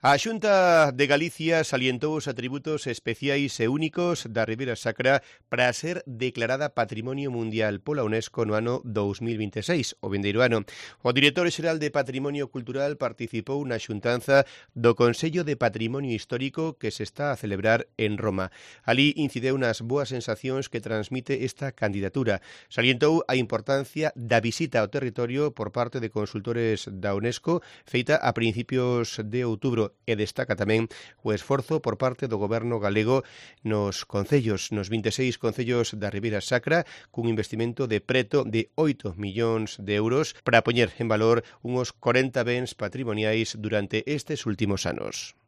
A Xunta de Galicia salientou os atributos especiais e únicos da Ribeira Sacra para ser declarada Patrimonio Mundial pola UNESCO no ano 2026, o vindeiro ano. O director xeral de Patrimonio Cultural participou na xuntanza do Consello de Patrimonio Histórico que se está a celebrar en Roma. Alí incideu nas boas sensacións que transmite esta candidatura. Salientou a importancia da visita ao territorio por parte de consultores da UNESCO feita a principios de outubro e destaca tamén o esforzo por parte do goberno galego nos concellos, nos 26 concellos da Ribeira Sacra, cun investimento de preto de 8 millóns de euros para poñer en valor unhos 40 bens patrimoniais durante estes últimos anos.